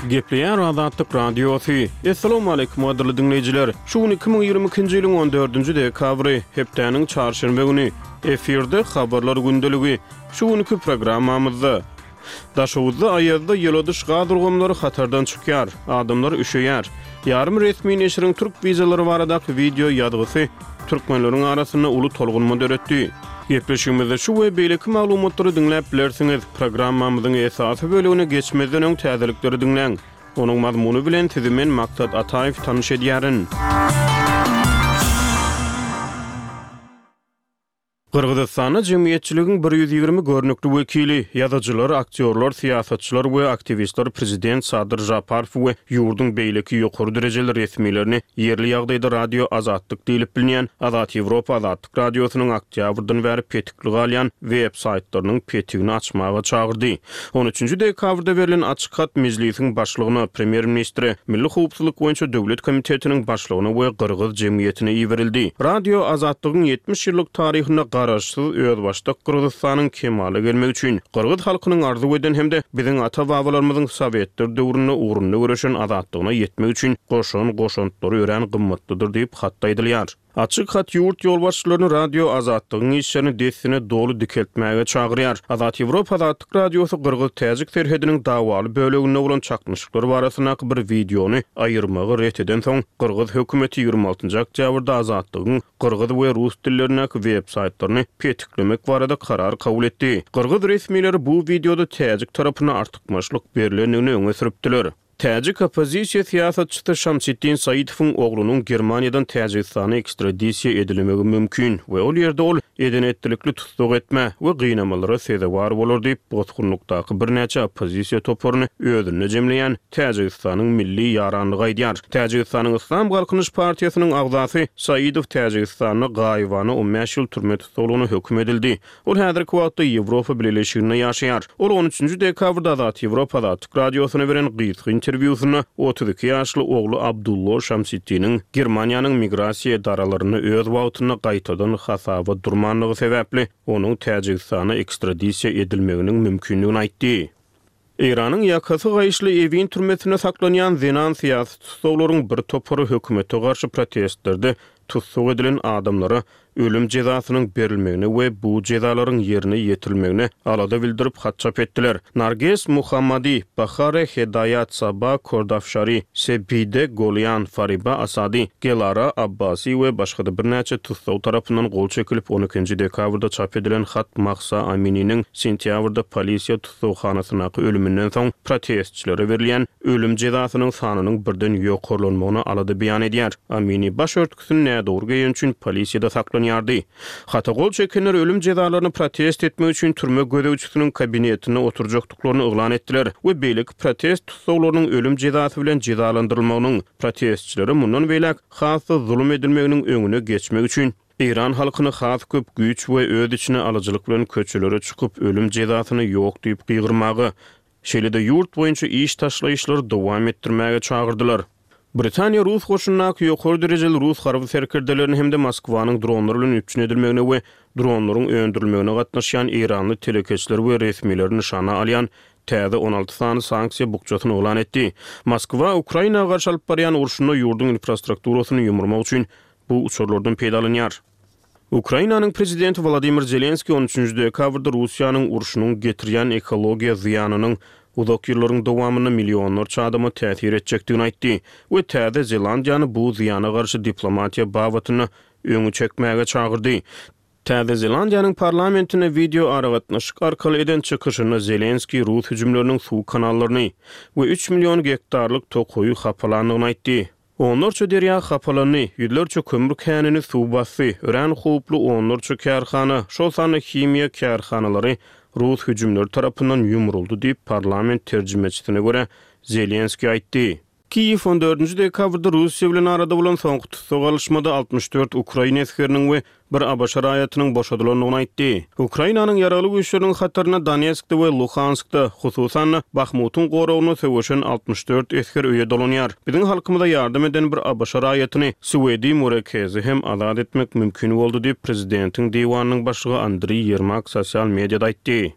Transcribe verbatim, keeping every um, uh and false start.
Gepleýär Azatlyk Radiosy. Assalamualaikum gadyrly diňleýjiler. Şu gün iki müň ýigrimi ikinji ýylyň on dördünji dekabry, hepdäniň çarşenbe güni. Efirde habarlar gündeligi. Şu günki programmamyzda Daşoguzda aýazda ýyladyş gaz ulgamlary hatardan çykýar, adamlar üşeýär. Ýarym resmi neşiriň türk wizalary baradaky wideo ýazgysy türkmenleriň arasynda uly tolgunma döretdi. Gepleşigimizde şu we beýleki maglumatlary diňläp bilersiňiz. Programmamyzyň esasy bölegine geçmezden öň täzelikleri diňläň. Onuň mazmuny bilen sizi men Maksat Ataýew tanyş edýärin. Gyrgyzystanda jemgyýetçiligiň bir ýüz ýigrimi görnükli wekili, ýazyjylar, aktýorlar, syýasatçylar we aktiwistler prezident Sadyr Žaparow we ýurduň beýleki ýokary derejeli resmilerini ýerli ýagdaýda Radio Azatlyk diýlip bilinýän Azat Ýewropa Azatlyk Radiosynyň oktýabrdan bäri petikli galýan web-saýtlarynyň petigini açmaga çagyrdy. On üçünji dekabrda berlen açyk hat Mejlisiň başlygyna, premýer-ministre, Milli howpsuzlyk boýunça döwlet komitetiniň başlygyna we gyrgyz jemgyýetine iberildi. Radio Azatlygyň ýetmiş ýyllyk taryhynda garaşsyz özbaşdak Gyrgyzystanyň kemala gelmegi üçin gyrgyz halkynyň arzuw eden hem-de biziň ata-babalarymyzyň sowetler döwründe ugrunda göreşen azatlygyna ýetmek üçin goşan goşantlary örän gymmatlydyr diýip hatda aýdylýar. Açyk hat ýurt ýolbaşçylaryny Radio Azatlygyň işlerini dessine doly dikeltmäge çagyrýar. Azat Ýewropa Azatlyk Radiosy gyrgyz-täjik serhediniň dawaly böleginde bolan çaknyşyklar barasyndaky bir wideony aýyrmagy ret edensoň, gyrgyz hökümeti ýigrimi altynjy oktýabrda Azatlygyň gyrgyz we rus dillerindäki web-saýtlaryny petiklemek barada karar kabul etdi. Gyrgyz resmileri bu wideoda täjik tarapyna artykmaçlyk berlendigini öňe sürüpdiler. Täjik oppozisiýa syýasatçysy Şamsiddin Saitowyň oglunyň Germaniýadan Täjigistana ekstradisiýa edilmegi mümkin we ol ýerde ol eden-etdilikli tussag etme we gynamalara sezewar bolar diýip, bosgunlykdaky birnäçe oppozisiýa toparyny özünde jemleýän Täjigistanyň milli ýaranlygy aýdýar. Täjigistanyň Yslam Galkynyş partiýasynyň agzasy Saidow Täjigistanda gaýybana on bäş ýyl türme tussaglygyna höküm edildi. Ol häzirki wagtda Ýewropa Bileleşiginde ýaşaýar. Ol on üçünji dekabrda Azat Ýewropa Azatlyk Radiosyna beren gysga interwýusynda otuz iki ýaşly ogly Abdullo Şamsiddiniň Germaniýanyň migrasiýa edaralarynda öz wagtynda gaýtadan hasaba durmanlygy sebäpli onuň Täjigistana ekstradisiýa edilmeginiň mümkindigini aýtdy. Eýranyň ýakasy gaýyşly Ewin türmesinde saklanýan zenan syýasy tussaglaryň bir topary hökümete garşy protestlerde tussag edilen adamlara ölüm jezasynyň berilmegine we bu jezalaryň ýerine ýetirilmegine alada bildirip hat çap etdiler. Narges Muhammadi, Bahare Hedaýat, Saba Kordafşari, Sepide Golýan, Fariba Asadi, Gelara Abbasi we başga-da birnäçe tussag tarapyndan gol çekilip on ikinji dekabrda çap edilen hat Mahsa Amininiň sentýabrda polisiýa tussaghanasyndaky ölüminden soň protestçilere berilýän ölüm jezasynyň sanynyň birden ýokarlanmagyna alada beýan edýär. Amini baş örtgüsini nädogry geýen üçin polisiýada saklanýardy. Hata gol çekenler ölüm jezalaryny protest etmek üçin türme gözegçisiniň kabinetinde oturjakdyklaryny yglan etdiler we beýleki protest tussaglarynyň ölüm jezasy bilen jezalandyrylmagynyň protestçilere mundan beýläk has-da zulum edilmeginiň öňüne geçmek üçin Eýran halkyny has köp güýç we öz içine alyjylyk bilen köçelere çykyp ölüm jezasyny ýok diýip gygyrmaga, şeýle-de ýurt boýunça iş taşlaýyşlary dowam etdirmäge çagyrdylar. Britaniýa Rus goşundaky ýokary derejeli Rus harby serkerdelerini hem-de Moskwanyň dronlar bilen üpjün edilmegine we dronlaryň öndürilmegine gatnaşýan eýranly telekeçiler we resmileri nyşana alýan täze on alty sany sanksiýa bukjasyny yglan etdi. Moskwa Ukraina garşy alyp barýan urşunda ýurduň infrastrukturasyny ýumurmak üçin bu uçarlardan peýdalanýar. Ukrainanyň prezidenti Wladimir Zelenskiý on üçünji dekabrda Russiýanyň urşunyň getirýän ekologiýa zyýanynyň uzak ýyllaryň dowamynda millionlarça adama täsir etjekdigini aýtdy we Täze Zelandiýany bu zyýana garşy diplomatiýa babatynda öňi çekmäge çagyrdy. Täze Zelandiýanyň parlamentinde wideo aragatnaşyk arkaly eden çykyşynda Zelenskiý rus hüjümleriniň suw kanallaryny we üç million gektarlyk tokaýy hapalandygyny aýtdy. Onlarça derýa hapalandy, ýüzlerçe kömür känini suw basdy, örän howply onlarça kärhana, şol sanda himiýa kärhanalary rus hüjümleri tarapyndan ýumruldy diýip parlament terjimeçisine görä Zelenskiý aýtdy. Kiýew on dördünji dekabrda Russiýa bilen arada bolan soňky tussag alyşmada altmyş dört ukrain esgeriniň we bir A B Ş raýatynyň boşadylandygyny aýtdy. Ukrainanyň ýaragly güýçleriniň hatarynda Donetskde we Luhanskda, hususan-da Bahmutyň goragynda söweşen altmyş dört esger öýe dolanýar. Biziň halkymyza ýardam eden bir A B Ş raýatyny Swedi Murekezi hem azat etmek mümkin boldy diýip, prezidentiň diwanynyň başlygy Andriý Ýermak sosial mediada aýtdy.